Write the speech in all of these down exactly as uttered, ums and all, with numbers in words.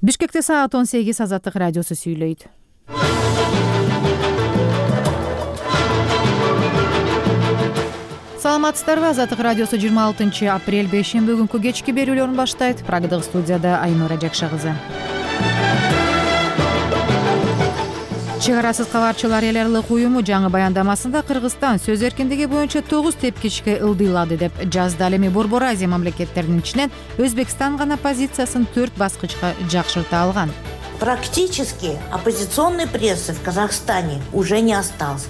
Бишкекте саат он сегиз. Азаттык радиосу сүйлөйт. Саламатсыздарбы? Азаттык радиосу жыйырма алтынчы апрель бейшемби күнкү кечки берүүлөрүн баштайт. Программадагы студияда Айнура Жакша кызы. Чек арасыз кабарчылар эл аралык уюму жаңы баяндамасында Кыргызстан сөз эркиндиги боюнча тогуз тепкичке ылдыйлады деп жазды. Ал эми Борбор Азия мамлекеттеринин ичинен Өзбекстан гана позициясын төрт баскычка жакшырта алган. Практически оппозиционной прессы в Казахстане уже не осталось.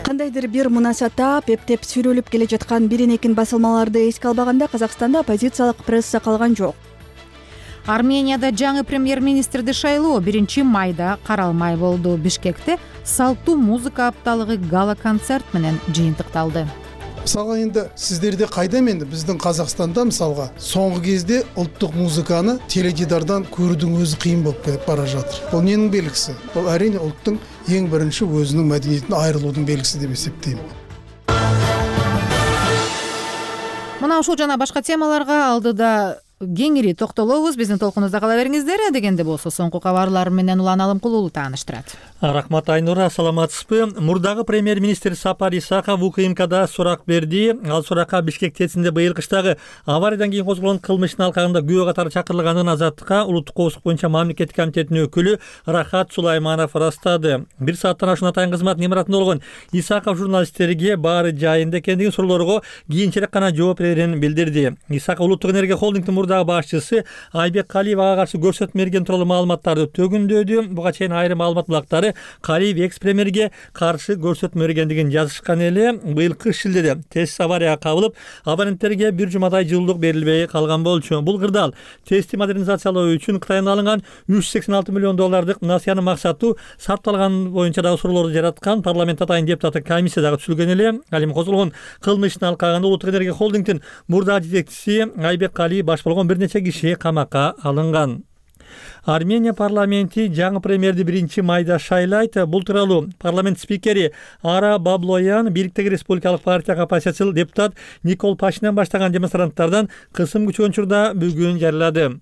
Кандайдыр бир мунасатап, эптеп сүрөлүп келе жаткан бирин-экин басылмаларды эске албаганда Казакстанда оппозициялык пресса калган жок. Арменияда жаңы премьер-министрди шайлоо биринчи майда каралмай болду. Бишкекте салттуу музыка апталыгы гала-концерт менен жыйынтыкталды. Мисалга энди сиздерде кайда эмне биздин Казакстанда мисалга соңку кезде улуттук музыканы теледидардан көрүүдүн өзү кыйын болуп кетип бара жатыр. Бул эмненин белгиси? Бул әрине улуттун эң биринчи өзүнүн мәдениетинен айрылуунун белгиси деп эсептейм. Мына ушул жана башка темаларга алдыда кеңири токтолобуз. Биздин толкунубузда кала бериңиздер. Дегенде болсо соңку кабарлар менен Улан Алымкулуу тааныштырат. Рахмат Айнура, саламатсызбы? Мурдагы премьер-министр Сапар Исаков УКМКда сурак берди. Ал суракка Бишкек ТЭЦинде быйыл кыштагы авариядан кийин козголгон кылмыштын алкагында күбө катары чакырылганын Азаттыкка улуттук коопсуздук боюнча мамлекеттик комитетинин өкүлү Рахат Сулайманов ырастады. Бир сааттан ашуун атайын кызматтын имаратында болгон Исаков журналисттерге баары жайында экендигин, суроолорго кийинчерээк гана жооп берерин билдирди. Исаков улуттук энергия холдингдин мурдагы башчысы Айбек Калиев ага каршы көрсөтмө берген тууралуу маалыматтарды төгүндөдү. Буга чейин айрым маалымат булактары Калиев экс-премьерге каршы көрсөтмө бергендигин жазышкан эле. Быйылкы шилдеде ТЭЦ аварияга кабылып, абоненттерге бир жумадай жылуулук берилбей калган болчу. Бул кырдаал ТЭЦти модернизациялоо үчүн Кытайдан алынган үч жүз сексен алты миллион доллардык насыянын максаттуу сарпталган боюнча дагы суроолорду жараткан. Парламент атайын депутаты комиссия дагы түзүлгөн эле. Ал эми козголгон кылмыштын алкагында улуттук энергия холдингдин мурдагы жетекчиси Айбек Калиев баш болгон бир нече киши камакка алынган. Армения парламенти жаңы премьерди биринчи майда шайлайт. Бул тууралуу парламент спикери Ара Баблоян бийликтеги республикалык партияга оппозициялык депутат Никол Пашинян баштаган демонстранттардан кысым күчөгөн учурда бүгүн жарыялады.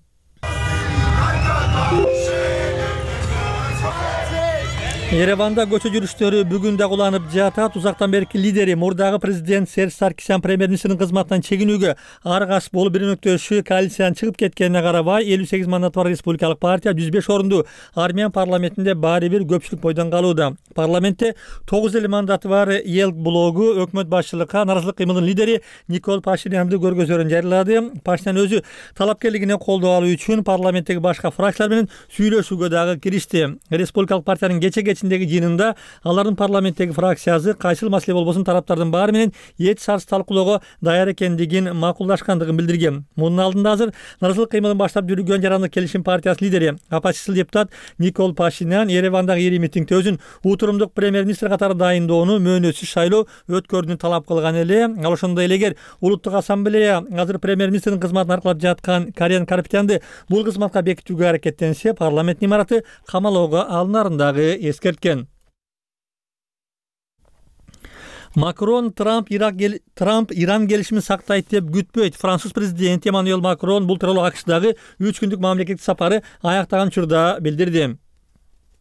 Ереванда көчө жүрүштөрү бүгүн да уланып жатат. Узактан берки лидери мурдагы президент Серж Саркисян премьер-министрдин кызматынан чегинүүгө аргас болуп биринөктөшү коалициядан чыгып кеткенине карабай, элүү сегиз мандаты бар республикалык партия жүз беш орунду армян парламентинде баары бир көпчүлүк бойдон калууда. Парламентте тогуз элүү мандаты бар эл блогу өкмөт башчылыкка наразылык кыймылдын лидери Никол Пашинянды көргөзөрүн жарыялады. Пашинян өзү талапкерлигине колдоо алуу үчүн парламенттеги башка фракциялар менен сүйлөшүүгө дагы киришти. Республикалык партиянын кечеге ичиндеги жыйынында алардын парламенттеги фракциясы кайсыл маселе болбосун тараптардын баары менен эч шарт талкуулоого даяр экендигин макулдашкандыгын билдирген. Мунун алдында азыр наразылык кыймылын баштап жүргөн Жарандык келишим партиясы лидери оппозициялык депутат Никол Пашинян Еревандагы ири митингде өзүн утурумдук премьер-министр катары дайындоону мөөнөтсүз шайлоо өткөрүүнү талап кылган эле. Ал ошондой эле эгер улуттук ассамблея азыр премьер-министрдин кызматын аркалап жаткан Карен Карапетянды бул кызматка бекитүүгө аракеттенсе, парламенттин имараты камалоого алынарын дагы эскерткен. Макрон Трамп Ирак гел... Трамп Иран келишимин сактайт деп күтпөйт. Француз президенти Эммануэль Макрон бул тууралуу АКШдагы үч күндүк мамлекеттик сапары аяктаган учурда билдирди.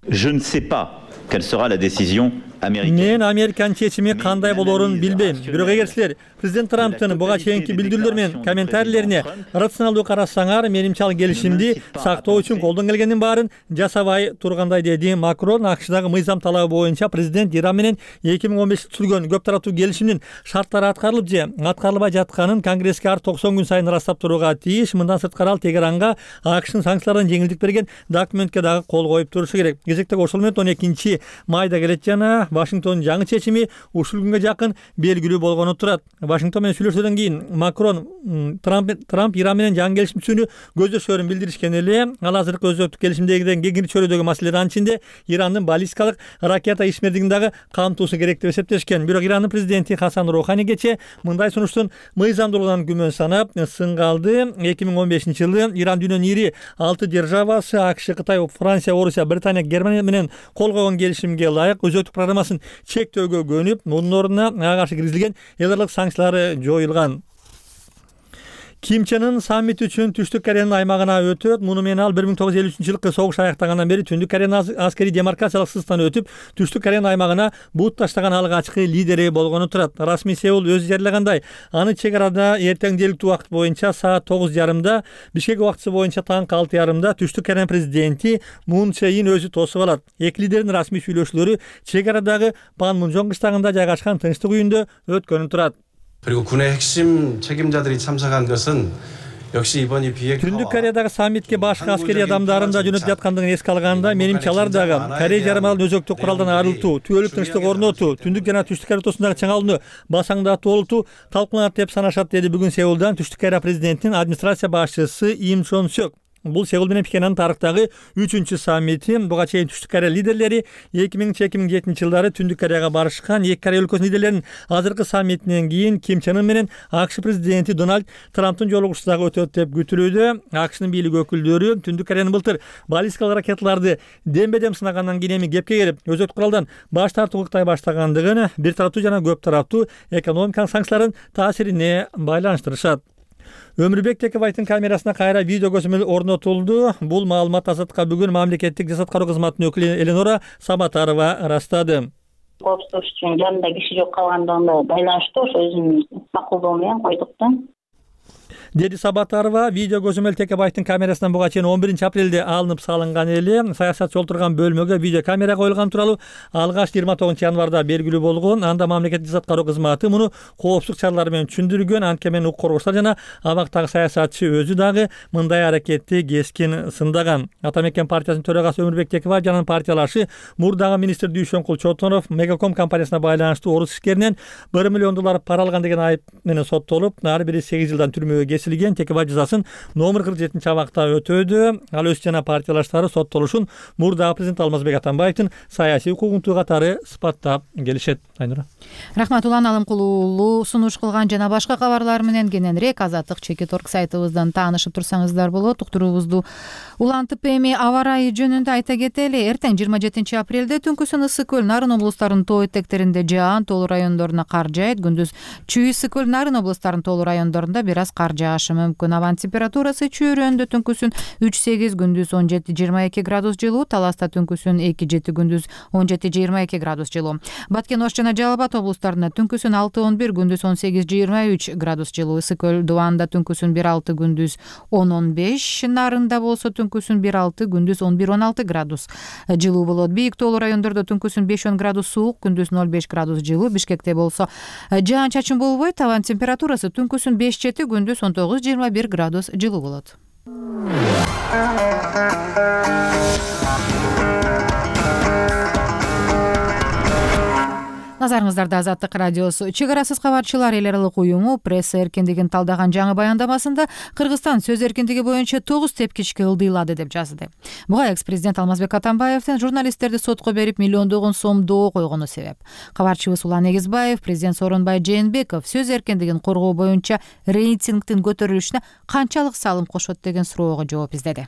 Je ne sais pas quelle sera la décision américaine. Мен Американын чечими кандай болоорун билбейм. Бирок эгер силер президент Трамптын буга чейинки билдирүүлөр менен комментарийлерине рационалдуу карасаңар, менимче ал келишимди сактоо үчүн колдон келгендин баарын жасабай тургандай, деди Макрон. АКШдагы мыйзам талабы боюнча президент Иран менен эки миң он беште түзүлгөн көп тараттуу келишимдин шарттары аткарылып же аткарылбай жатканын Конгресске ар токсон күн сайын ырастап турууга тийиш. Мындан сырткары ал Тегеранга АКШдын санкциялардан жеңилдик берген документке дагы кол коюп турушу керек. Кезектеги ошол менен он экинчи майда келет жана Вашингтондун жаңы чечими ушул күнгө жакын белгилүү болгону турат. Вашингтон менен сүйлөшүүдөн кийин Макрон Трамп, Трамп Иран менен жаңы келишим түзүүнү көздөшөрүн билдиришкен эле. Ал азыркы өзөктүк келишимдегиден кеңири чөйрөдөгү маселелердин ичинде Ирандын баллистикалык ракета ишмердигин дагы камтуусу керек деп эсептешкен. Бирок Ирандын президенти Хасан Рухани кече мындай сунуштун мыйзамдуулугунан күмөн санап сынга алды. эки миң он бешинчи жылы Иран дүйнөнүн ири алты державасы АКШ, Кытай, Франция, Орусия, Британия, Германия менен кол койгон келишимге ылайык өзөктүк программасын чектөөгө көнүп, мунун ордуна ага каршы киргизилген эл аралык санкциялары жоюлган. Ким Чен Ын саммит үчүн Түштүк Кореянын аймагына өтөт. Муну менен ал бир миң тогуз жүз элүү үчүнчү жылкы согуш аяктагандан бери Түндүк Кореянын аскерий демаркациялык сызыктан өтүп, Түштүк Кореянын аймагына бут таштаган алгачкы лидери болгону турат. Расмий Сеул өзү жарыягандай, аны чек арада эртең жергиликтүү убакыт боюнча саат тогуз жарымда, Бишкек убактысы боюнча таңкы алты жарымда Түштүк Кореянын президенти Мун Чже Ин өзү тосуп алат. Эки лидердин расмий сүйлөшүүлөрү чек арадагы Панмунжон кыштагында жайгашкан тынчтык үйүндө өткөнү турат. 그리고 군의 핵심 책임자들이 참석한 것은 역시 이번이 비핵화 Түндүк Кореядагы саммитке башка аскерий адамдарын да жөнөтүп жаткандыгын эске алганда, менимче алар дагы Корея жарымаралын өзөктүк куралдан арылтуу, түбөлүк тынчтык орнотуу, Түндүк жана Түштүк Корея ортосундагы чыңалууну басаңдатуу болуту талкууланат деп санашат, деди бүгүн Сеулдан Түштүк Корея президентинин администрация башчысы Им Чон Сёк. Бул Сеул менен Пхеньяндын тарыхтагы үчүнчү саммити. Буга чейин Түштүк Корея лидерлери эки миңинчи эки миң жетинчи жылдары Түндүк Кореяга барышкан. Эки Корея өлкөсүнүн лидерлеринин азыркы саммитинен кийин Ким Чен Ын менен АКШ президенти Дональд Трамптын жолугушуусу дагы өтөт деп күтүлүүдө. АКШнын бийлик өкүлдөрү Түндүк Кореянын былтыр баллистикалык ракеталарды дембедем сынагандан кийин эми кепке келип, өзөт куралдан баш тартуу ыктай баштагандыгын бир тараптуу жана көп тараптуу экономикалык санкциялардын таасирине байланыштырышат. Өмүрбек Текебаевдин камерасына кайра видео көзөмөл орнотулду. Бул маалымат Азаттыкка бүгүн мамлекеттик жасат кароо кызматынын өкүлү Эленора Сабатарова ырастады. Коопсуздук үчүн жанында киши жок калгандыгына байланыштуу ошо өзүнүн макулдугу менен койдук да. Деди Сабатарова. Видео көзөмөл Текебаевдин камерасынан буга чейин он биринчи апрелде алынып салынган эле. Саясатчы отурган бөлмөгө видео камера коюлган тууралуу алгач жыйырма тогузунчу январда белгилүү болгон. Анда мамлекеттик жасат кароо кызматы муну коопсуздук чаралары менен түшүндүргөн. Анткени укук коргоочулар жана абактагы саясатчы өзү дагы мындай аракетти кескин сындаган. Ата мекен партиясынын төрагасы Өмүрбек Текебаев жана партиялашы мурдагы министр Дүйшөнкул Чотонов Мегаком компаниясына байланыштуу орус ишкеринен bir миллион доллар пара алган деген айып менен соттолуп, ар бири сегиз жылдан түрмөгө кесилген. Текебаев жазасын номер кырк жетинчи абакта өтөдү. Ал өзү жана партиялаштары соттолушун мурдагы президент Алмазбек Атамбаевдин саясий укугунтуу катары сыпаттап келишет. Айнура. Рахмат, Улан Алымкул уулу сунуш кылган жана башка кабарлар менен кененирээк Азаттык чекит орг сайтыбыздан таанышып турсаңыздар болот. Уктуруубузду улантып эми аба ырайы жөнүндө айта кетели. Эртең жыйырма жетинчи апрелде Түнкүсүн Ысык көл, Нарын облустарынын тоо этектеринде жаан, тоолуу райондоруна кар жаайт. Күндүз Чүй, Ысык көл, Нарын облустарынын тоолуу райондорунда бир аз кар жаашы мүмкүн. Абанын температурасы чөйрөндө Түнкүсүн үч сегиз, күндүз он жети жыйырма эки градус жылуу, Таласта Түнкүсүн эки жети, күндүз он жети жыйырма эки градус жылуу. Баткен, Ош жана Жалал Абад облустарында Түнкүсүн алты он бир, күндүз он сегиз жыйырма үч градус жылуу. Ысык көл, Дубанда Түнкүсүн бир алты, күндүз он он беш, Нарында болсо Түнкүсүн бир алты, күндүз он бир он алты градус жылуу болот. Бийик тоолуу райондордо Түнкүсүн беш он градус суук, күндүз ноль беш градус жылуу. Бишкекте болсо жаан чачын болбойт, абанын температурасы Түнкүсүн беш жети, күндүз он тогуз жыйырма бир градус жылуу болот. Назарыңыздарда Азаттык радиосу. Чек арасыз кабарчылар эл аралык уюму пресса эркиндигин талдаган жаңы баяндамасында Кыргызстан сөз эркиндиги боюнча тогуз тепкичке ылдыйлады деп жазды. Буга экс-президент Алмазбек Атамбаевдин журналисттерди сотко берип миллиондогон сом доо койгону себеп. Кабарчыбыз Улан Эгизбаев президент Сооронбай Жээнбеков сөз эркиндигин коргоо боюнча рейтингдин көтөрүлүшүнө канчалык салым кошот деген суроого жооп издеди.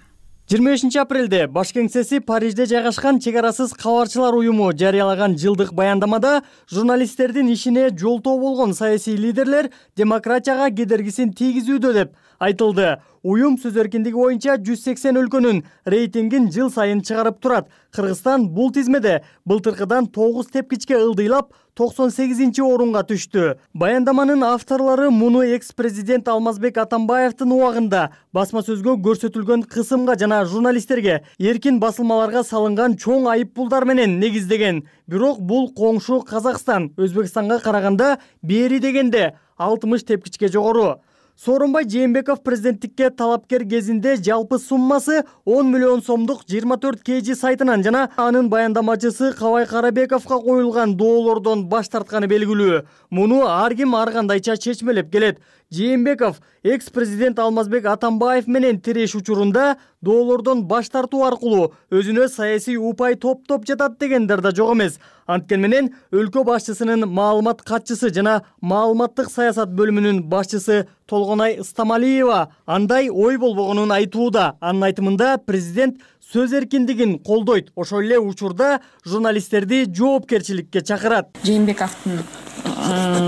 жыйырма бешинчи апрелде баш кеңсеси Парижде жайгашкан чек арасыз кабарчылар уюму жарыялаган жылдык баяндамада журналисттердин ишине жолтоо болгон саясий лидерлер демократияга кедергисин тийгизүүдө деп айтылды. Уюм сөз эркиндиги боюнча жүз сексен өлкөнүн рейтингин жыл сайын чыгарып турат. Кыргызстан бул тизмеде былтыркыдан тогуз тепкичке ылдыйлап токсон сегизинчи орунга түштү. Баяндаманын авторлору муну экс-президент Алмазбек Атамбаевдин убагында басма сөзгө көрсөтүлгөн кысымга жана журналисттерге эркин басылмаларга салынган чоң айыппулдар менен негиздеген. Бирок бул коңшу Казакстан Өзбекстанга караганда бери дегенде алтымыш тепкичке жогору. Сооронбай Жээнбеков президенттикке талапкер кезинде жалпы суммасы он миллион сомдук жыйырма төрт кей жи сайтынан жана анын баяндамачысы Кабай Карабековго коюлган доолордон баш тартканы белгилүү. Муну ар ким ар кандайча чечмелеп келет. Жээнбеков экс-президент Алмазбек Атамбаев менен тиреш учурунда доолордон баш тартуу аркылуу өзүнө саясий упай топтоп жатат дегендер да жок эмес. Анткени менен өлкө башчысынын маалымат катчысы жана маалыматтык саясат бөлүмүнүн башчысы Толгонай Ыстамалиева андай ой болбогонун айтууда. Анын айтымында президент сөз эркиндигин колдойт, ошол эле учурда журналисттерди жоопкерчиликке чакырат. Жээнбековдун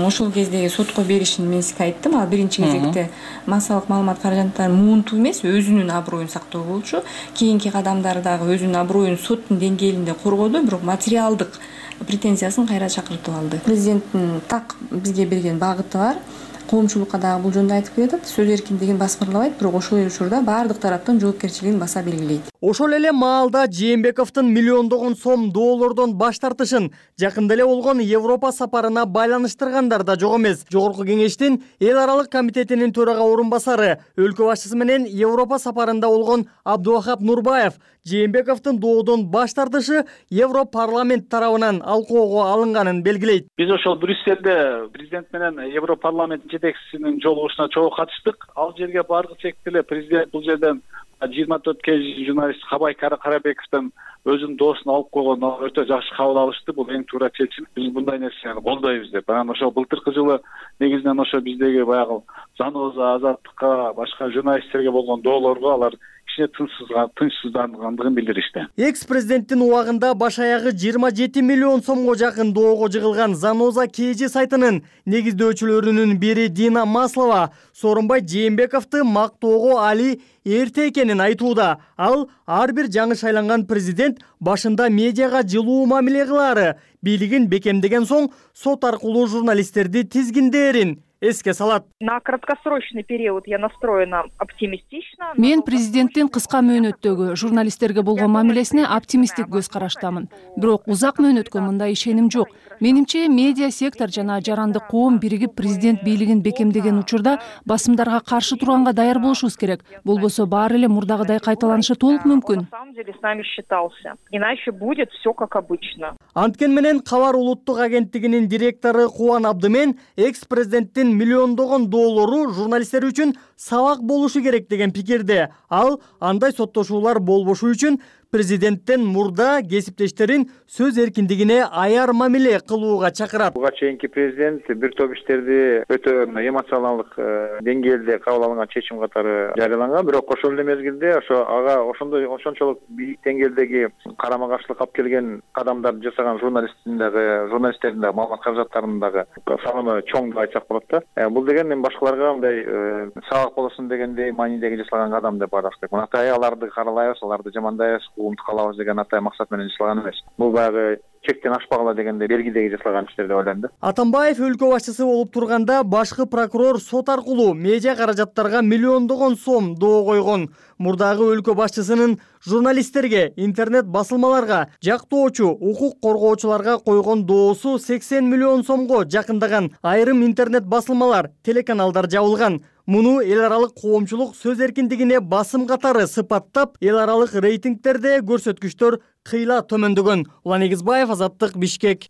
ошол кездеги сотко беришин мен сизге айттым. Ал биринчи кезекте массалык маалымат каражаттарын муунтуу эмес, өзүнүн аброюн сактоо болчу. Кийинки кадамдары дагы өзүнүн аброюн соттун деңгээлинде коргоду, бирок материалдык претензиясын кайра чакыртып алды. Президенттин так бизге берген багыты бар. Коомчулукка дагы бул жөнүндө айтып келатат. Сөз эркиндигин басмырлабайт, бирок ошол эле учурда баардык тараптын жоопкерчилигин баса белгилейт. Ошол эле маалда Жээнбековдун миллиондогон сом доллордон баш тартышын жакында эле болгон Европа сапарына байланыштыргандар да жок эмес. Жогорку кеңештин эл аралык комитетинин төрага орун басары, өлкө башчысы менен Европа сапарында болгон Абдувахап Нурбаев Жээнбековдун доодон баш тартышы Европарламент тарабынан алкоого алынганын белгилейт. Биз ошол Брюссельде президент менен Европарламент жетекчисинин жолугушуна чогуу катыштык. Ал жерге баргыча эле президент бул жерден жыйырма төрт кей журналист Хабай Карабековдон өзүнүн доосун алып койгон, өтө жакшы кабыл алышты. Бул эң туура чечим. Биз мындай нерсени колдойбуз деп. Анан ошол былтыркы жылы негизинен ошо биздеги баягы Заноза, Азаттыкка, башка журналисттерге болгон доолорго алар кичине тынчсыздангандыгын билдиришти. Экс-президенттин убагында баш аягы жыйырма жети миллион сомго жакын доого жыгылган Заноза Кж сайтынын негиздөөчүлөрүнүн бири Дина Маслова Сооронбай Жээнбековду мактоого али эрте экенин айтууда. Ал ар бир жаңы шайланган президент башында медиага жылуу мамиле кылаары, бийлигин бекемдеген соң сот аркылуу журналисттерди тизгиндээрин эске салат. На краткосрочный период я настроена оптимистично. Мен президенттин кыска мөөнөттөгү журналисттерге болгон мамилесине оптимисттик көз караштамын. Бирок узак мөөнөткө мындай ишеним жок. Менимче медиа сектор жана жарандык коом биригип президент бийлигин бекемдеген учурда басымдарга каршы турганга даяр болушубуз керек. Болбосо баары эле мурдагыдай кайталанышы толук мүмкүн. На самом деле с нами считался. Иначе будет все как обычно. Анткени менен Кабар улуттук агенттигинин директору Кубан Абдымен экс-президенттин миллиондогон доллору журналисттер үчүн сабак болушу керек деген пикирде. Ал андай соттошуулар болбошу үчүн президенттен мурда кесиптештерин сөз эркиндигине аяр мамиле кылууга чакырат. Буга чейинки президент бир топ иштерди өтө эмоционалдык деңгээлде кабыл алынган чечим катары жарыяланган, бирок ошол эле мезгилде ошо ага ошондой ошончолук бийик деңгээлдеги карама каршылык алып келген кадамдарды жасаган журналисттин дагы журналисттердин дагы маалымат каражаттарынын дагы салымы чоң деп айтсак болот да. Бул деген эми башкаларга мындай сабак болосун дегендей маанидеги жасалган кадам деп караш керек. Атай аларды каралайбыз, аларды жамандайбыз, умтуп калабыз деген атай максат менен жасалган эмес. Бул баягы чектен ашпагыла дегенде белгидеги жасалган иштер деп ойлойм да. Атамбаев өлкө башчысы болуп турганда башкы прокурор сот аркылуу медиа каражаттарга миллиондогон сом доо койгон. Мурдагы өлкө башчысынын журналисттерге, интернет басылмаларга, жактоочу, укук коргоочуларга койгон доосу сексен миллион сомго жакындаган. Айрым интернет басылмалар, телеканалдар жабылган. Муну эл аралык коомчулук сөз эркиндигине басым катары сыпаттап, эл аралык рейтингтерде көрсөткүчтөр кыйла төмөндөгөн. Улан Эгизбаев, Азаттык, Бишкек.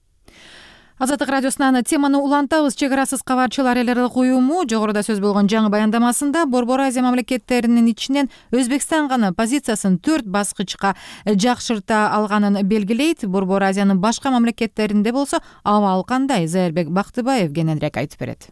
Азаттык радиосунан теманы улантабыз. Чек арасыз кабарчылар эл аралык уюму жогоруда сөз болгон жаңы баяндамасында Борбор Азия мамлекеттеринин ичинен Өзбекстан гана позициясын төрт баскычка жакшырта алганын белгилейт. Борбор Азиянын башка мамлекеттеринде болсо абал кандай? Зайырбек Бактыбаев кененирээк айтып берет.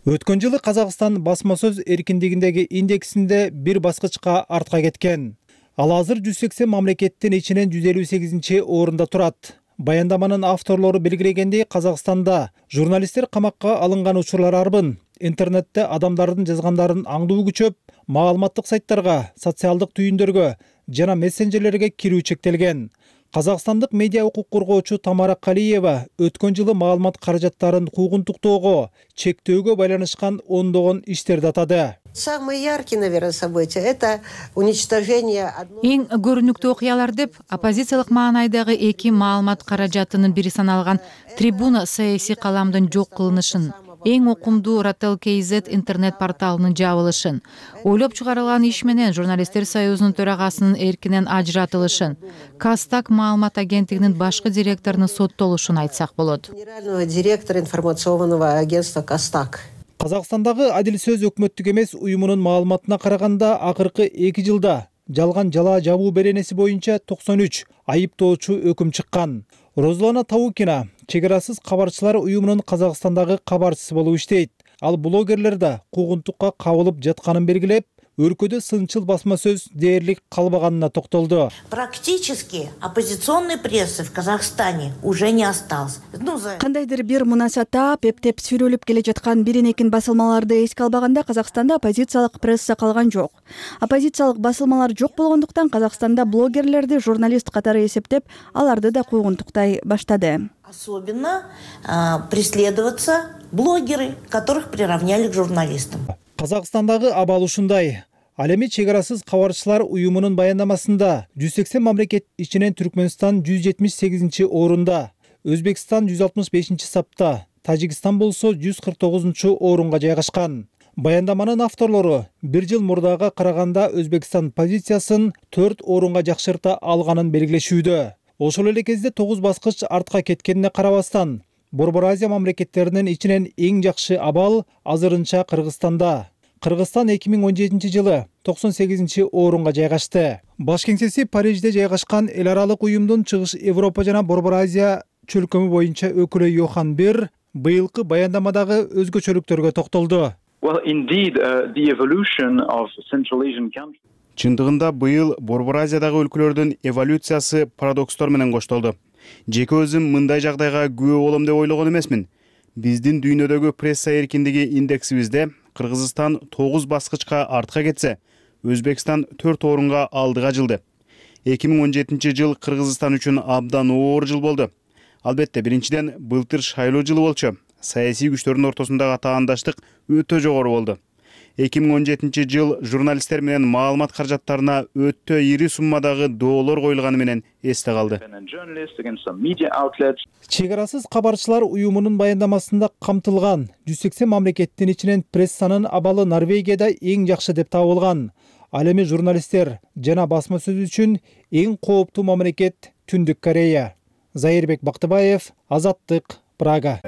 Өткөн жылы Казакстан басма сөз эркиндигиндеги индексинде бир баскычка артка кеткен. Ал азыр жүз сексен мамлекеттин ичинен жүз элүү сегизинчи орунда турат. Баяндаманын авторлору белгилегендей, Казакстанда журналисттер камакка алынган учурлар арбын. Интернетте адамдардын жазгандарын аңдуу күчөп, маалыматтык сайттарга, социалдык түйүндөргө жана мессенджерлерге кирүү чектелген. Казакстандык медиа укук коргоочу Тамара Калиева өткөн жылы маалымат каражаттарын куугунтуктоого, чектөөгө байланышкан ондогон иштерди атады. Самые яркие, наверное, события – это уничтожение... Эң көрүнүктүү окуялар деп оппозициялык маанайдагы эки маалымат каражатынын бири саналган Трибуна саясий каламдын жок кылынышын, эң окумдуу Ротел Kz интернет порталынын жабылышын, ойлоп чыгарылган иш менен журналисттер союзунун төрагасынын эркинен ажыратылышын, Кастак маалымат агенттигинин башкы директорунун соттолушун айтсак болот. Генерального директора информационного агентства Кастак. Казакстандагы Адил сөз өкмөттүк эмес уюмунун маалыматына караганда акыркы эки жылда жалган жалаа жабуу беренеси боюнча токсон үч айыптоочу өкүм чыккан. Розлана Таукина чек арасыз кабарчылар уюмунун Казакстандагы кабарчысы болуп иштейт. Ал блогерлер да куугунтукка кабылып жатканын белгилеп, өлкөдө сынчыл басма сөз дээрлик калбаганына токтолду. Практически оппозиционной прессы в Казахстане уже не осталось. Ну, за... Кандайдыр бир мунасатап, эптеп сүрөлүп келе жаткан биринекин басылмаларды эске албаганда Казакстанда оппозициялык пресса калган жок. Оппозициялык басылмалар жок болгондуктан Казакстанда блогерлерди журналист катары эсептеп, аларды да куугунтуктай баштады. Особенно э, преследоваться блогеры, которых приравняли к журналистам. Казакстандагы абал ушундай. Ал эми чек арасыз кабарчылар уюмунун баяндамасында жүз сексен мамлекет ичинен Түркмөнстан жүз жетимиш сегизинчи орунда, Өзбекстан жүз алтымыш бешинчи сапта, Тажикстан болсо жүз кырк тогузунчу орунга жайгашкан. Баяндаманын авторлору бир жыл мурдага караганда Өзбекстан позициясын төрт орунга жакшырта алганын белгилешүүдө. Ошол эле кезде тогуз баскыч артка кеткенине карабастан, Борбор Азия мамлекеттеринин ичинен эң жакшы абал азырынча Кыргызстанда. Кыргызстан эки миң он жетинчи жылы токсон сегизинчи орунга жайгашты. Баш кеңсеси Парижде жайгашкан эл аралык уюмдун Чыгыш Европа жана Борбор Азия чөлкөмү боюнча өкүлү Йохан Бир быйылкы баяндамадагы өзгөчөлүктөргө токтолду. Well, indeed, uh, the evolution of Central Asian countries. Чындыгында быйыл Борбор Азиядагы өлкөлөрдүн эволюциясы парадокстор менен коштолду. Жеке өзүм мындай жагдайга күбө болом деп ойлогон эмесмин. Биздин дүйнөдөгү пресса эркиндиги индексибизде Кыргызстан тогуз баскычка артка кетсе, Өзбекстан төрт орунга алдыга жылды. эки миң он жетинчи жыл Кыргызстан үчүн абдан оор жыл болду. Албетте, биринчиден былтыр шайлоо жылы болчу. Саясий күчтөрдүн ортосундагы таандаштык өтө жогору болду. эки миң он жетинчи жыл журналисттер менен маалымат каражаттарына өтө ири суммадагы доолор коюлганы менен эсте калды. Чек арасыз кабарчылар уюмунун баяндамасында камтылган жүз сексен мамлекеттин ичинен прессанын абалы Норвегияда эң жакшы деп табылган. Ал эми журналисттер жана басма сөз үчүн эң кооптуу мамлекет Түндүк Корея. Зайырбек Бактыбаев, Азаттык, Прага.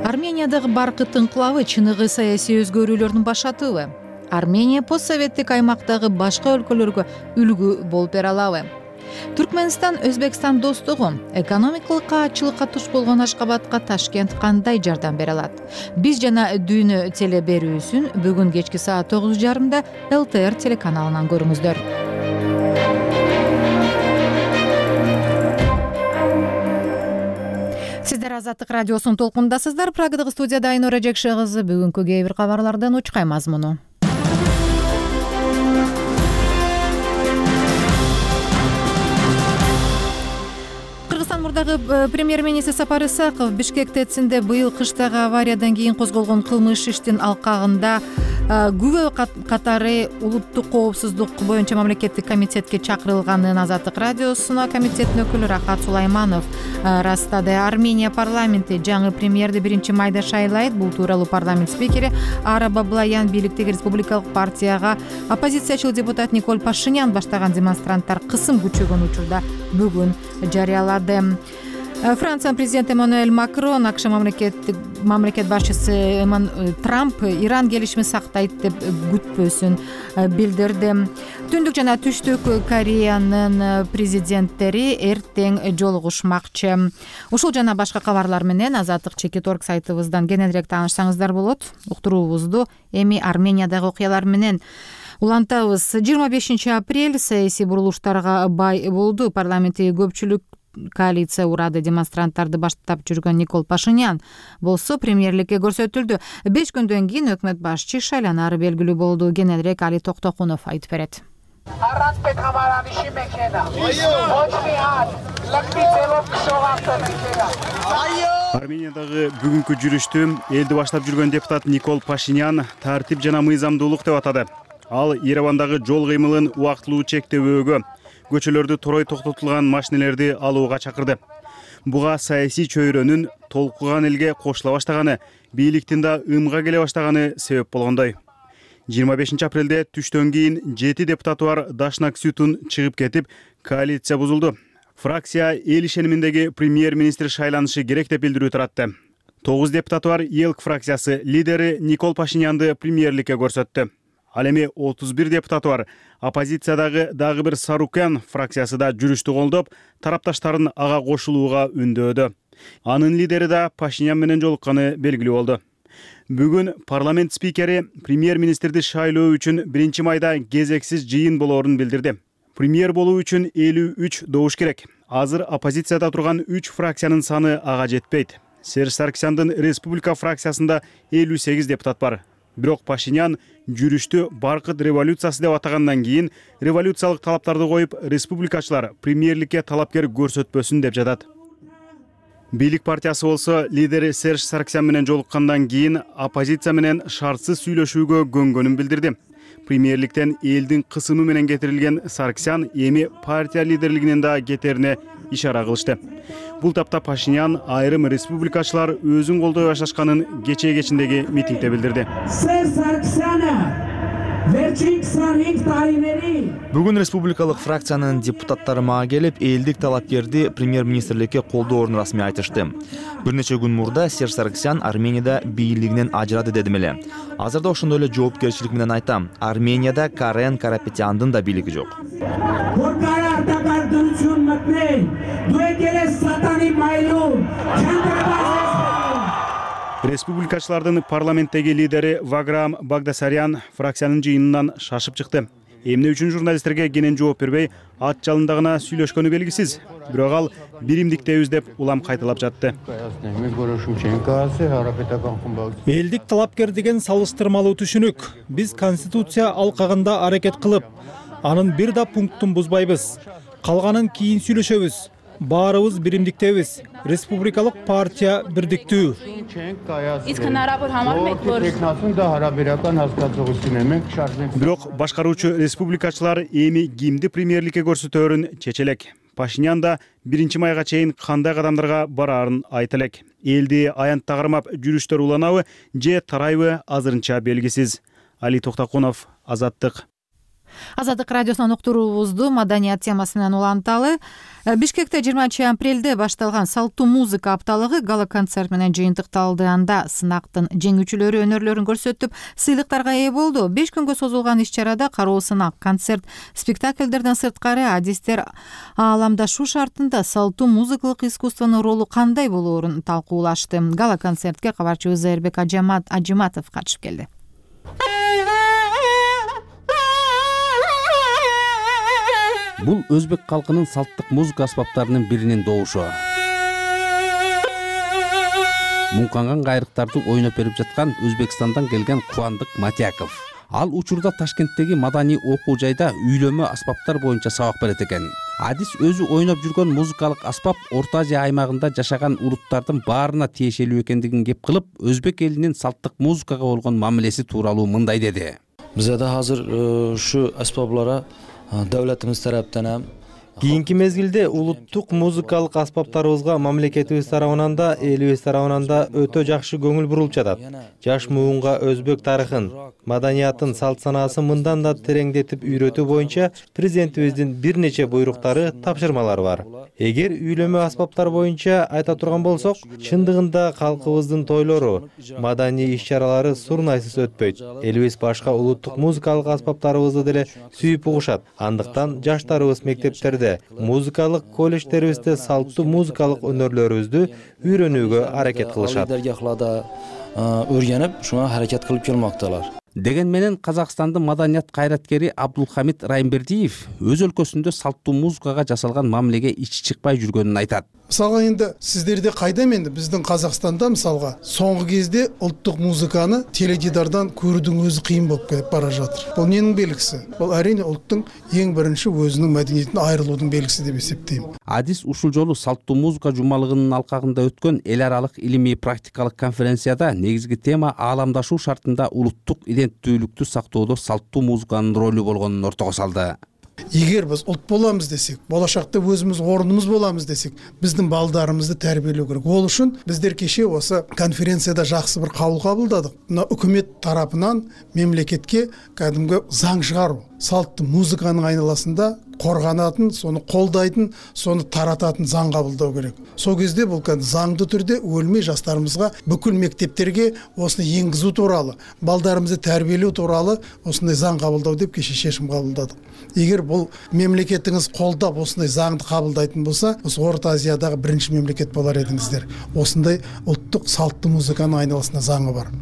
Армениядагы баркыт инкылабы чыныгы саясий өзгөрүүлөрдүн башатыбы? Армения постсоветтик аймактагы башка өлкөлөргө үлгү болуп бере алабы? Түркмөнстан Өзбекстан достугу экономикалык каатчылыкка туш болгон Ашкабадка Ташкент кандай жардам бере алат? Биз жана дүйнө теле берүүсүн бүгүн кечки саат тогуз жарымда эл тэ эр телеканалынан көрүңүздөр. Сиздер Азаттык радиосунун толкундасыздар. Прагадагы студияда Айнура Жекше кызы бүгүнкү кээ бир кабарлардан учкай мазмуну. Кыргызстан мурдагы премьер-министр Сапар Исаков Бишкек ТЭЦинде быйыл кыштагы авариядан кийин козголгон кылмыш иштин алкагында күбө катары улуттук коопсуздук боюнча мамлекеттик комитетке чакырылганын Азаттык радиосуна комитеттин өкүлү Рахат Сулайманов растады. Армения парламенти жаңы премьерди биринчи майда шайлайт. Бул тууралуу парламент спикери Ара Баблоян бийликтеги республикалык партияга оппозициячыл депутат Николь Пашинян баштаган демонстранттар кысым күчөгөн учурда бүгүн жарыялады. Франция президенти Эммануэль Макрон АКШ мамлекеттик мамлекет башчысы Трамп Иран келишимин сактайт деп күтпөсүн билдирди. Түндүк жана Түштүк Кореянын президенттери эртең жолугушмакчы. Ушул жана башка кабарлар менен Азаттык чекит точка орг сайтыбыздан кененирээк таанышсаңыздар болот. Уктуруубузду эми Армениядагы окуялар менен улантабыз. жыйырма бешинчи апрель саясий бурулуштарга бай болду. Парламентте көпчүлүк коалиция урады. Демонстранттарды баштап жүргөн Николь Пашинян болсо премьерликке көрсөтүлдү. беш күндөн кийин өкмөт башчы шайланары белгилүү болду. Кененирээк Али Токтокунов айтып берет. Армениядагы бүгүнкү жүрүштү элди баштап жүргөн депутат Николь Пашинян тартип жана мыйзамдуулук деп атады. Ал Еревандагы жол кыймылын убактылуу чектөөгө, көчөлөрдү турой токтотулган машинелерди алууга чакырды. Буга саясий чөйрөнүн толкуган элге кошула баштаганы, бийликтин да ымга келе баштаганы себеп болгондой. жыйырма бешинчи апрелде түштөн кийин жети депутаты бар Дашнак Сютун чыгып кетип, коалиция бузулду. Фракция эл ишениминдеги премьер-министр шайланышы керек деп билдирүү таратты. тогуз депутаты бар ЕЛК фракциясы лидери Николь Пашинянды премьерликке көрсөттү. Ал эми отуз бир депутаты бар оппозициядагы дагы бир Сарукян фракциясы да жүрүштү колдоп, тарапташтарын ага кошулууга үндөөдү. Анын лидери да Пашинян менен жолукканы белгилүү болду. Бүгүн парламент спикери премьер-министрди шайлоо үчүн биринчи майда кезексиз жыйын болоорун билдирди. Премьер болуу үчүн элүү үч добуш керек. Азыр оппозицияда турган үч фракциянын саны ага жетпейт. Серж Саркисяндын республика фракциясында элүү сегиз депутат бар. Бирок Пашинян жүрүштү баркыт революциясы деп атагандан кийин революциялык талаптарды коюп, республикачылар премьерликке талапкер көрсөтпөсүн деп жатат. Бийлик партиясы болсо лидери Серж Саркисян менен жолуккандан кийин оппозиция менен шартсыз сүйлөшүүгө көнгөнүн билдирди. Премьерликтен элдин кысымы менен кетирилген Саркисян эми партия лидерлигинен да кетерине ишара кылышты. Бул тапта Пашинян айрым республикачылар өзүн колдой башташканын кечээ кечиндеги митингде билдирди. Бүгүн республикалык фракциянын депутаттары мага келип, элдик талапкерди премьер-министрликке колдоорун расмий айтышты. Бир нече күн мурда Серж Саркисян Арменияда бийлигинен ажырады дедим эле. Азырда ошондой эле жоопкерчилик менен айтам. Арменияда Карен Карапетяндын да бийлиги жок. Республикачылардын парламенттеги лидери Ваграм Багдасарян фракциянын жыйынынан шашып чыкты. Эмне үчүн журналисттерге кенен жооп бербей, ат жалында гана сүйлөшкөнү белгисиз. Бирок ал биримдиктебиз деп улам кайталап жатты. Элдик талапкер деген салыштырмалуу түшүнүк. Биз конституция алкагында аракет кылып, анын бир да пунктун бузбайбыз. Калганын кийин сүйлөшөбүз. Баарыбыз биримдиктебиз. Республикалык партия бирдиктүү. Бирок башкаруучу республикачылар эми кимди премьерликке көрсөтөөрүн чече элек. Пашинян да биринчи майга чейин кандай кадамдарга бараарын айта элек. Элди аянтта кармап жүрүштөр уланабы же тарайбы азырынча белгисиз. Али Токтокунов, Азаттык. Азаттык радиосунан уктуруубузду маданият темасы менен уланталы. Бишкекте жыйырманчы апрелде башталган салттуу музыка апталыгы гала концерт менен жыйынтыкталды. Анда сынактын жеңүүчүлөрү өнөрлөрүн көрсөтүп, сыйлыктарга ээ болду. беш күнгө созулган иш-чарада кароо сынак, концерт, спектакльдерден сырткары адистер ааламдашуу шартында салттуу музыкалык искусствонун ролу кандай болоорун талкуулашты. Гала концертке кабарчыбыз Эрбек Ажиматов катышып келди. Бул өзбек калкынын салттык музыка аспаптарынын биринин добушу. Муңканган кайрыктарды ойноп берип жаткан Өзбекстандан келген Кубандык Матяков. Ал учурда Ташкенттеги маданий окуу жайда үйлөмө аспаптар боюнча сабак берет экен. Адис өзү ойноп жүргөн музыкалык аспап Орто Азия аймагында жашаган улуттардын баарына тиешелүү экендигин кеп кылып, өзбек элинин салттык музыкага болгон мамилеси тууралуу мындай деди. Бизде азыр ушу аспаплара Devletimiz taraftan hem Кийинки мезгилде улуттук музыкалык аспаптарыбызга мамлекетибиз тарабынан да, элибиз тарабынан да өтө жакшы көңүл бурулуп жатат. Жаш муунга өзбек тарыхын, маданиятын, салт санаасын мындан да тереңдетип үйрөтүү боюнча президентибиздин бир нече буйруктары, тапшырмалары бар. Эгер үйлөмө аспаптар боюнча айта турган болсок, чындыгында калкыбыздын тойлору, маданий иш-чаралары сурнайсыз өтпөйт. Элибиз башка улуттук музыкалык аспаптарыбызды деле сүйүп угушат. Андыктан жаштарыбыз мектептерде, музыкалык колледждерибизде салттуу музыкалык өнөрлөрүбүздү үйрөнүүгө аракет кылышат. Өргөнүп, шуга аракет кылып келмакталар. Деген менен Казакстандын маданият кайраткери Абдулхамид Райымбердиев өз өлкөсүндө салттуу музыкага жасалган мамилеге ичи чыкпай жүргөнүн айтат. Мисалга энди сиздерде кайдам энди биздин Казакстанда мисалга соңку кезде улуттук музыканы теледидардан көрүүдүн өзү кыйын болуп кетип бара жатыр. Бул эмненин белгиси? Бул әрине улуттун эң биринчи өзүнүн маданиятынан айрылуунун белгиси деп эсептейм. Адис ушул жолу салттуу музыка жумалыгынын алкагында өткөн эл аралык илимий практикалык конференцияда негизги тема ааламдашуу шартында улуттук иденттүүлүктү сактоодо салттуу музыканын ролу болгонун ортого салды. Эгер биз улут боламыз десек, болашакта өзүбүз ордумуз боламыз десек, биздин балдарыбызды тарбиялөө керек. Ол үчүн биздер кеше осы конференцияда жакшы бир кабыл кабылдадык. Мына өкмөт тарапынан мемлекетке кадимги заң чыгаруу. салттуу музыканын айналасында корганатын, сону колдайтын, сону тарататын заң кабылдоо керек. Сол кезде бул заңдуу түрдө өлмөй жаштарыбызга бүкүл мектептерге осуну энгизүү тууралуу, балдарыбызды тәрбиелөө тууралуу осундай заң кабылдоо деп кеше чечим кабылдадык. Эгер бул мемлекетиңиз колдоп осундай заңды кабылдайтын болсо, осы Орто Азиядагы биринчи мемлекет болар едиңиздер. Осундай улуттук салттуу музыканын айналасында заңы бар.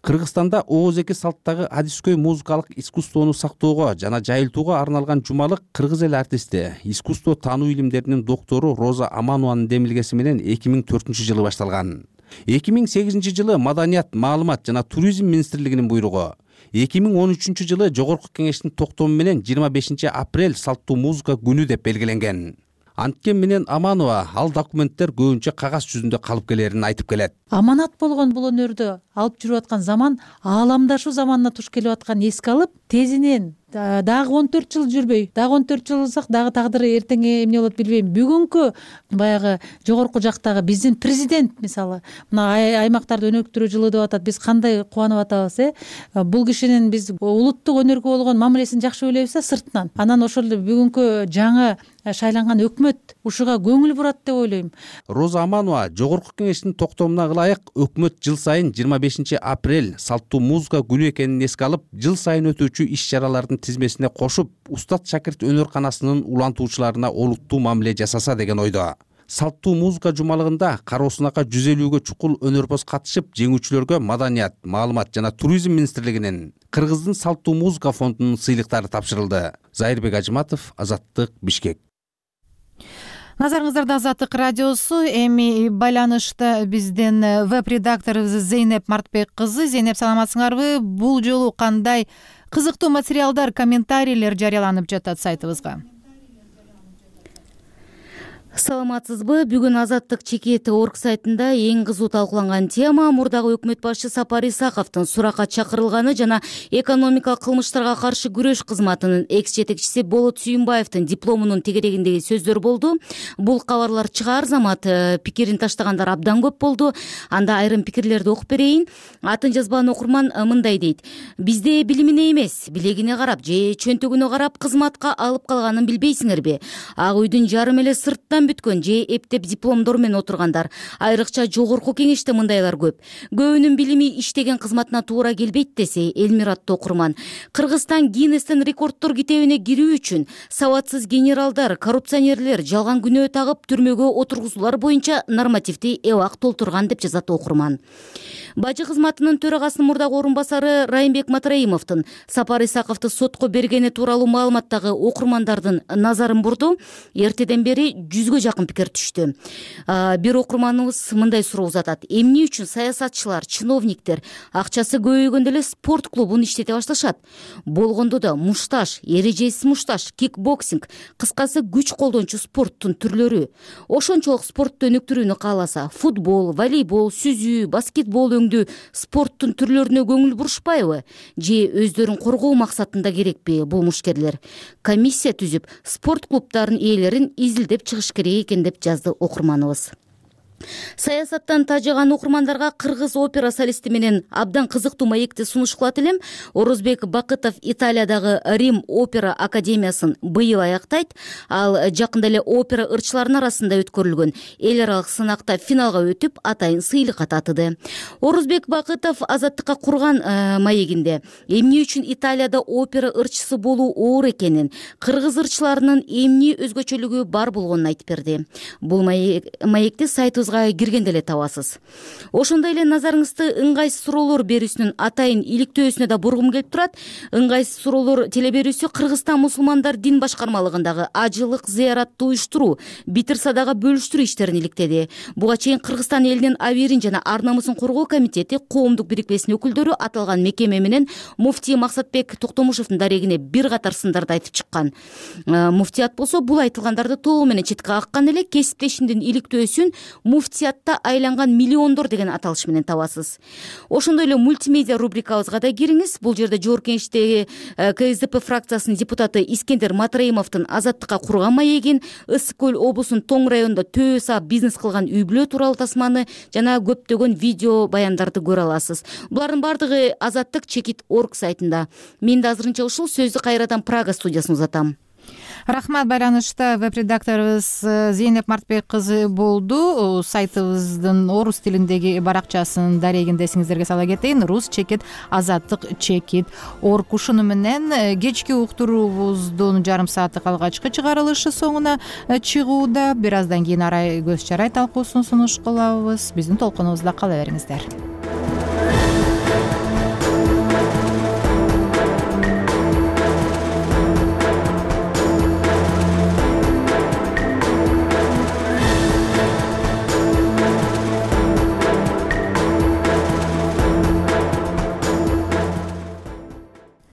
Кыргызстанда ооз-эки салттагы адискөй музыкалык искусствону сактоого жана жайылтууга арналган жумалык кыргыз эл артисти, искусство таануу илимдеринин доктору Роза Аманованын демилгеси менен эки миң төртүнчү жылы башталган. эки миң сегизинчи жылы Маданият, маалымат жана туризм министрлигинин буйругу, эки миң он үчүнчү жылы Жогорку Кеңештин токтому менен жыйырма бешинчи апрель салттуу музыка күнү деп белгиленген. Анткен менен Аманова ал документтер көбүнчө кагаз жүзүндө калып келерин айтып келет. Аманат болгон бул өнөрдү алып жүрүп аткан заман ааламдашуу заманына туш келип аткан эске алып, тезинен дагы он төрт жыл жүрбөй, дагы он төрт жыл алсак дагы тагдыры эртең эмне болот билбейм. Бүгүнкү баягы жогорку жактагы биздин президент мисалы мына аймактарды өнүктүрүү жылы деп атат. Биз кандай кубанып атабыз, э? Бул кишинин биз улуттук өнөргө болгон мамилесин жакшы ойлойбуз да сыртынан. Анан ошол эле бүгүнкү жаңы шайланган өкмөт ушуга көңүл бурат деп ойлойм. Роза Аманова Жогорку Кеңештин токтомуна ылайык өкмөт жыл сайын жыйырма бешинчи апрель салттуу музыка күнү экенин эске алып, жыл сайын өтүүчү иш-чаралардын тизмесине кошуп, устат шакирт өнөрканасынын улантуучуларына олуттуу мамиле жасаса деген ойдо. Салттуу музыка жумалыгында кароосунака жүз элүүгө чукул өнөрпоз катышып, жеңүүчүлөргө Маданият, маалымат жана туризм министрлигинин, Кыргыздын салттуу музыка фондунун сыйлыктары тапшырылды. Зайырбек Ажыматов, Азаттык, Бишкек. Назарыңыздарда Азаттык радиосу. Эми байланышта бизден веб-редакторубуз Зейнеп Мартбек кызы. Зейнеп, саламатсыңарбы? Бул жолу кандай кызыктуу материалдар, комментарийлер жарыяланып жатат сайтыбызга? Саламатсызбы? Бүгүн Азаттык чекети орг сайтында эң кызуу талкууланган тема мурдагы өкмөт башчы Сапар Исаковдун суракка чакырылганы жана экономикалык кылмыштарга каршы күрөш кызматынын экс жетекчиси Болот Сүйүнбаевдин дипломунун тегерегиндеги сөздөр болду. Бул кабарлар чыгаар замат пикирин таштагандар абдан көп болду. Анда айрым пикирлерди окуп берейин. Атын жазбаган окурман мындай дейт: бизде билимине эмес, билегине карап же чөнтөгүнө карап кызматка алып калганын билбейсиңерби? Ак үйдүн жарым эле сырттан бүткөн же эптеп дипломдор менен отургандар, айрыкча Жогорку Кеңеште мындайлар көп. Көбүнүн билими иштеген кызматына туура келбейт десе Элмиратты окурман. Кыргызстан Гиннестин рекорддор китебине кирүү үчүн сабатсыз генералдар, коррупционерлер жалган күнөө тагып түрмөгө отургузуулар боюнча нормативди эбак толтурган деп жазат окурман. Бажы кызматынын төрагасынын мурдагы орун басары Райымбек Матраимовдун Сапар Исаковду сотко бергени тууралуу маалыматтагы окурмандардын назарын бурду. Эртеден бери жүзгө жакын пикир түштү. Бир окурманыбыз мындай суроо узатат: эмне үчүн саясатчылар, чиновниктер акчасы көбөйгөндө эле спорт клубун иштете башташат? Болгондо да мушташ, эрежесиз мушташ, кикбоксинг, кыскасы күч колдончу спорттун түрлөрү. Ошончолук спортту өнүктүрүүнү кааласа, футбол, волейбол, сүзүү, баскетбол өңдүү спорттун түрлөрүнө көңүл бурушпайбы? Же өздөрүн коргоо максатында керекпи бул мушкерлер? Комиссия түзүп, спорт клубтарынын ээлерин изилдеп чыгыш керек экен деп жазды окурманыбыз. Саясаттан тажаган окурмандарга кыргыз опера солисти менен абдан кызыктуу маекти сунуш кылат элем. Орозбек Бакытов Италиядагы Рим опера академиясын быйыл аяктайт. Ал жакында эле опера ырчыларынын арасында өткөрүлгөн эл аралык сынакта финалга өтүп, атайын сыйлыкка татыды. Орозбек Бакытов Азаттыкка курган маегинде эмне үчүн Италияда опера ырчысы болуу оор экенин, кыргыз ырчыларынын эмне өзгөчөлүгү бар болгонун айтып берди. Бул маекти сайтыбызга киргенде эле табасыз. Ошондой эле назарыңызды ыңгайсыз суроолор берүүсүнүн атайын иликтөөсүнө да бургум келип турат. Ыңгайсыз суроолор телеберүүсү Кыргызстан мусулмандар дин башкармалыгындагы ажылык зыяраттуу уюштуруу, битир садака бөлүштүрүү иштерин иликтеди. Буга чейин Кыргызстан элинин абийирин жана ар намысын коргоо комитети коомдук бирикмесинин өкүлдөрү аталган мекеме менен муфтий Максатбек Токтомушевдун дарегине бир катар сындарды айтып чыккан. Муфтият болсо бул айтылгандарды толугу менен четке каккан эле, кесиптешиндин иликтөөсүн муфтиятта айланган миллиондор деген аталыш менен табасыз. Ошондой эле мультимедиа рубрикабызга да кириңиз. Бул жерде Жогорку Кеңештеги ка эс дэ пэ фракциясынын депутаты Искендер Матраимовдун Азаттыкка курган маегин, Ысык көл облусунун Тоң районунда төбө саап бизнес кылган үй бүлө тууралуу тасманы жана көптөгөн видео баяндарды көрө аласыз. Булардын бардыгы Азаттык чекит орг сайтында. Мен да азырынча ушул сөздү кайрадан Прага студиясына узатам. Рахмат. Байланышта веб-редакторубуз Зейнеп Мартбек кызы болду. Сайтыбыздын орус тилиндеги баракчасын дарегинде эсиңиздерге сала кетейин. Рус чекит Азаттык чекит орг. Ушуну менен кечки уктуруубуздун жарым сааттык алгачкы чыгарылышы соңуна чыгууда. Бир аздан кийин арай көз чарай талкуусун сунуш кылабыз. Биздин толкунубузда кала бериңиздер.